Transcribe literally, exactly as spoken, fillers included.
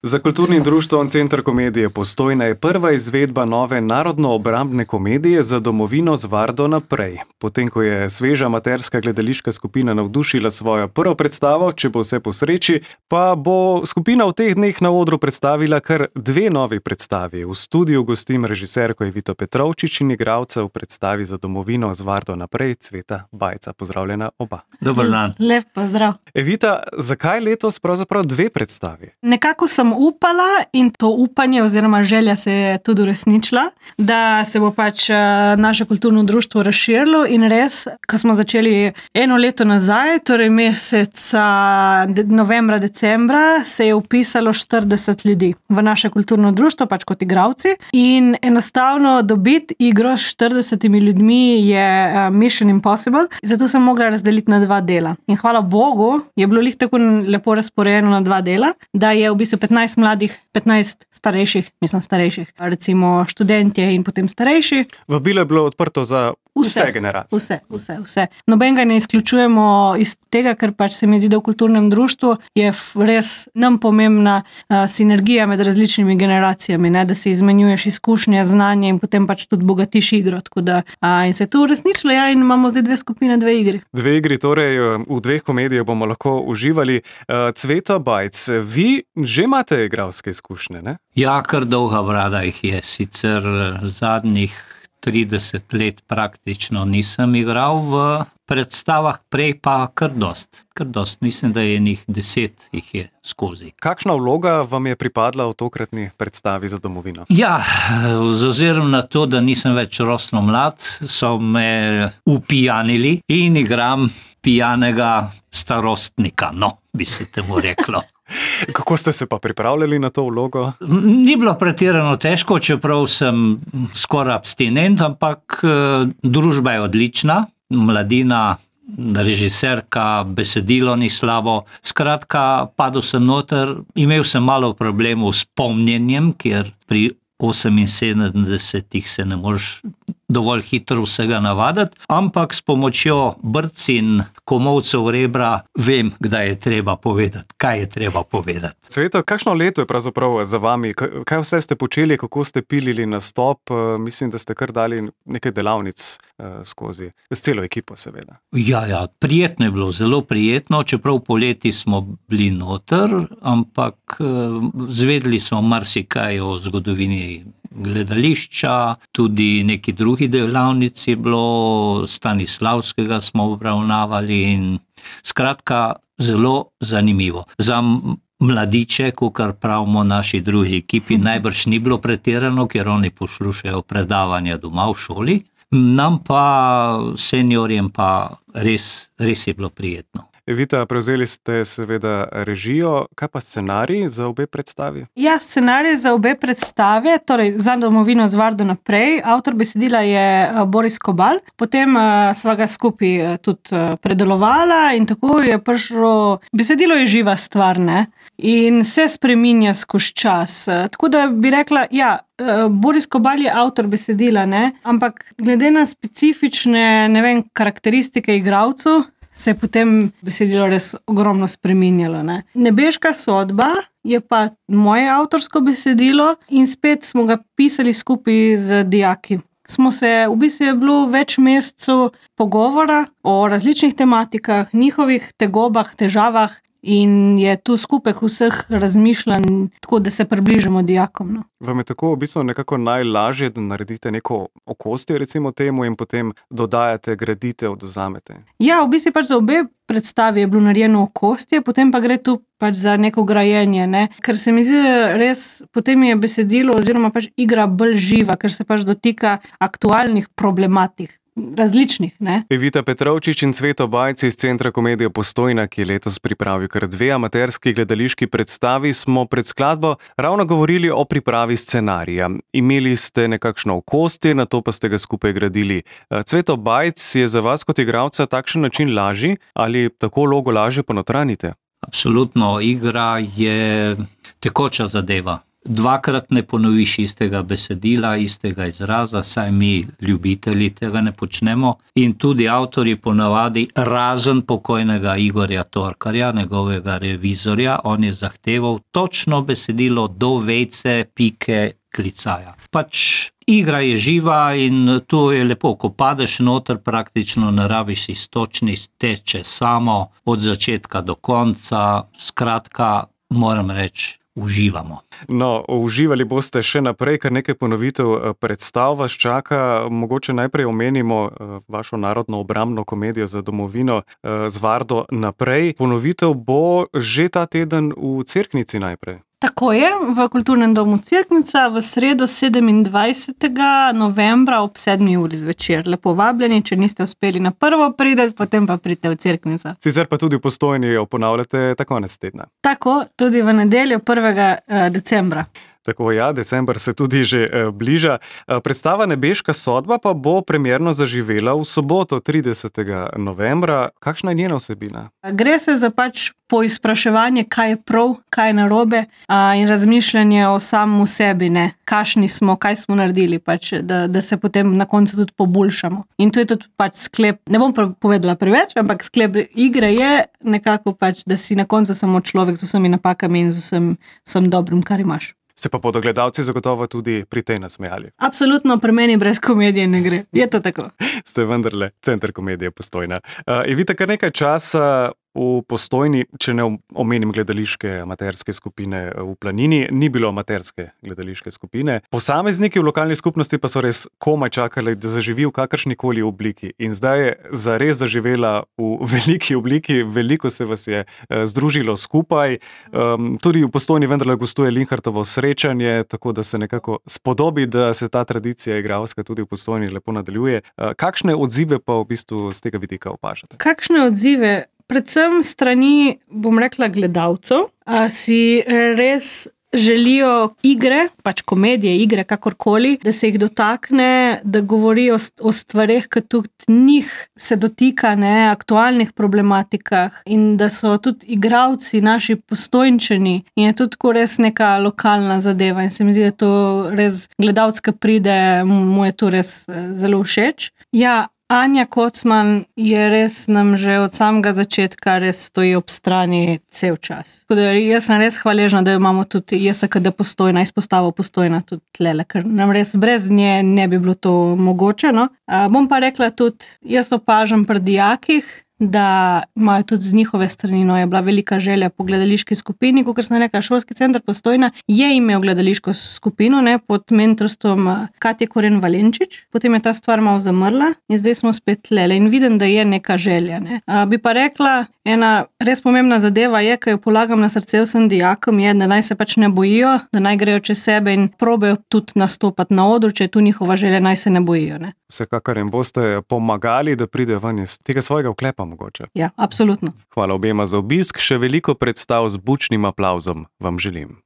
Za kulturnim društvom Center komedije Postojna je prva izvedba nove narodno-obrambne komedije Za domovino z vardo naprej. Potem, ko je sveža amaterska gledališka skupina navdušila svojo prvo predstavo, Če bo vse po sreči, pa bo skupina v teh dneh na odru predstavila kar dve novi predstavi. V studiu gostim režiserko Evito Petrovčič in igralca v predstavi Za domovino z vardo naprej Cveta Bajca. Pozdravljena oba. Dober dan. Lep pozdrav. Evita, zakaj letos pravzaprav dve predstavi? Nekako sem upala in to upanje oziroma želja se je tudi uresničila, da se bo pač naše kulturno društvo razširilo in res, ko smo začeli eno leto nazaj, torej meseca novembra, decembra, se je vpisalo štirideset ljudi v naše kulturno društvo, pač kot igralci, in enostavno dobiti igro s štiridesetimi ljudmi je mission impossible, zato sem mogla razdeliti na dva dela. In hvala Bogu, je bilo lih tako lepo razporejeno na dva dela, da je v bistvu petnajst mladih, petnajst starejših, mislim starejših, recimo študentje in potem starejši. Vabilo je bilo odprto za vse, vse generacije. Vse, vse, vse. Nobenega ne izključujemo iz tega, ker pač se mi zdi, da v kulturnem društvu je res nam pomembna uh, sinergija med različnimi generacijami, ne? Da si izmenjuješ izkušnje, znanje in potem pač tudi bogatiš igro. Tako da, uh, in se je to uresničilo, ja, in imamo zdaj dve skupine, dve igri. Dve igri, torej v dveh komedijah bomo lahko uživali. Uh, Cveto Bajc, vi že imate igralske izkušnje, ne? Ja, kar dolga brada jih je. Sicer zadnjih trideset let praktično nisem igral v predstavah, prej pa kar dost. Kar dost. Mislim, da je njih deset jih je skozi. Kakšna vloga vam je pripadla v tokratni predstavi Za domovino? Ja, z ozirom na to, da nisem več rosno mlad, so me upijanili in igram pijanega starostnika, no, bi se temu reklo. Kako ste se pa pripravljali na to vlogo? Ni bilo pretirano težko, čeprav sem skoraj abstinent, ampak družba je odlična, mladina, režiserka, besedilo ni slabo. Skratka, padel sem noter, imel sem malo problemov s pomnjenjem, ker pri oseminsedemdesetih se ne moreš dovolj hitro vsega navaditi, ampak s pomočjo brc in komolcev rebra vem, kdaj je treba povedati, kaj je treba povedati. Cveto, kakšno leto je pravzaprav za vami? Kaj vse ste počeli, kako ste pilili nastop? Mislim, da ste kar dali nekaj delavnic skozi, s celo ekipo seveda. Ja, ja, prijetno je bilo, zelo prijetno, čeprav poleti smo bili noter, ampak zvedeli smo marsikaj o zgodovini gledališča, tudi neki drugi delavnici je bilo, Stanislavskega smo obravnavali in skratka zelo zanimivo. Za mladiče, kakor pravimo naši drugi ekipi, najbrž ni bilo pretirano, ker oni poslušajo predavanja doma v šoli, nam pa, seniorjem pa res, res je bilo prijetno. Evita, prevzeli ste seveda režijo, kaj pa scenarij za obe predstavi? Ja, scenarij za obe predstave, torej Za domovino z vardo naprej, avtor besedila je Boris Kobal, potem uh, sva ga skupaj tudi uh, predelovala in tako je prišlo, besedilo je živa stvar, ne, in se spreminja skozi čas, uh, tako da bi rekla, ja, uh, Boris Kobal je avtor besedila, ne, ampak glede na specifične, ne vem, karakteristike igralcev, se je potem besedilo res ogromno spreminjalo. Ne? Nebeška sodba je pa moje avtorsko besedilo in spet smo ga pisali skupaj z dijaki. Smo se, v bistvu je bilo več mesecev pogovora o različnih tematikah, njihovih tegobah, težavah in je tu skupek vseh razmišljanj, tako da se približamo dijakom. No. Vam je tako v bistvu nekako najlažje, da naredite neko okostje recimo temu in potem dodajate, gradite, odvzamete? Ja, v bistvu pač za obe predstavi je bilo narejeno okostje, potem pa gre tu pač za neko grajenje, ne? Ker se mi zdi res, potem je besedilo oziroma pač igra bolj živa, ker se pač dotika aktualnih problematik. Različnih, ne? Evita Petrovčič in Cveto Bajc iz Centra komedije Postojna, ki je letos pripravil kar dve amaterski gledališki predstavi, smo pred skladbo ravno govorili o pripravi scenarija. Imeli ste nekakšno okostje, nato pa ste ga skupaj gradili. Cveto Bajc, je za vas kot igralca takšen način lažji ali tako vlogo lažje ponotranjite? Absolutno, igra je tekoča zadeva. dvakrat ne ponoviš istega besedila, istega izraza, saj mi ljubitelji tega ne počnemo. In tudi avtorji ponavadi, razen pokojnega Igorja Torkarja, njegovega revizorja, on je zahteval točno besedilo do vejce, pike, klicaja. Pač igra je živa in to je lepo, ko padeš noter, praktično ne rabiš iztočni, teče samo od začetka do konca, skratka, moram reči, uživamo. No, uživali boste še naprej, kar nekaj ponovitev predstav vas čaka. Mogoče najprej omenimo vašo narodno obrambno komedijo za domovino z Vardo naprej. Ponovitev bo že ta teden v Cerknici najprej. Tako je, v Kulturnem domu Cerknica v sredo sedemindvajsetega novembra ob sedmi uri zvečer. Lepo vabljeni, če niste uspeli na prvo priti, potem pa pridite v Cerknico. Sicer pa tudi v Postojni jo ponavljate ta konec tedna. Tako, tudi v nedeljo prvega decembra. Tako, ja, december se tudi že eh, bliža. Predstava Nebeška sodba pa bo premierno zaživela v soboto, tridesetega novembra. Kakšna je njena vsebina? Gre se za pač poizpraševanje, kaj je prav, kaj je narobe a, in razmišljanje o samem sebi, ne, kakšni smo, kaj smo naredili, pač, da, da se potem na koncu tudi poboljšamo. In to je tudi pač sklep, ne bom povedala preveč, ampak sklep igre je nekako pač, da si na koncu samo človek z vsemi napakami in z vsem, vsem dobrim, kar imaš. Se pa bodo gledalci zagotovo tudi pri tej nasmejali. Absolutno, pri meni brez komedije ne gre. Je to tako. Ste vendarle Center komedije Postojna. Uh, Evita, kar nekaj časa v Postojni, če ne omenim gledališke amaterske skupine v Planini, ni bilo amaterske gledališke skupine. Posamezniki v lokalni skupnosti pa so res komaj čakali, da zaživi v kakršnikoli obliki. In zdaj je zares zaživela v veliki obliki, veliko se vas je združilo skupaj. Um, tudi v Postojni vendarle gostuje Linhartovo srečanje, tako da se nekako spodobi, da se ta tradicija igralska tudi v Postojni lepo nadaljuje. Uh, kakšne odzive pa v bistvu z tega vidika opažate? Kakšne odzive? Predvsem strani, bom rekla, gledalcev, a si res želijo igre, pač komedije, igre, kakorkoli, da se jih dotakne, da govorijo o stvareh, ki tudi njih se dotika, ne, aktualnih problematikah in da so tudi igralci, naši Postojnčani in je tudi res neka lokalna zadeva in se mi zdi, da to res gledalec, ki pride, mu je to res zelo všeč. Ja, Anja Kocman je res nam že od samega začetka res stoji ob strani cel čas. Tako da jaz sem res hvaležna, da imamo tudi J S K D Postojna, izpostavo Postojna tudi tlele, ker nam res brez nje ne bi bilo to mogoče. No? A, bom pa rekla tudi, jaz opažam pri dijakih, da imajo tudi z njihove strani, no, je bila velika želja po gledališki skupini, kot sem rekla, Šolski center Postojna je imel gledališko skupino, ne, pod mentorstvom Katje Koren Valenčič, potem je ta stvar malo zamrla in zdaj smo spet lele in vidim, da je neka želja. Ne. A, bi pa rekla, ena res pomembna zadeva je, ki jo polagam na srce vsem dijakom, je, da naj se pač ne bojijo, da naj grejo čez sebe in probejo tudi nastopati na odru, če je tu njihova želja, naj se ne bojijo. Ne. Vsekakor jim boste pomagali, da pridejo ven iz tega svojega oklepa mogoče. Ja, absolutno. Hvala obema za obisk, še veliko predstav z bučnim aplavzom vam želim.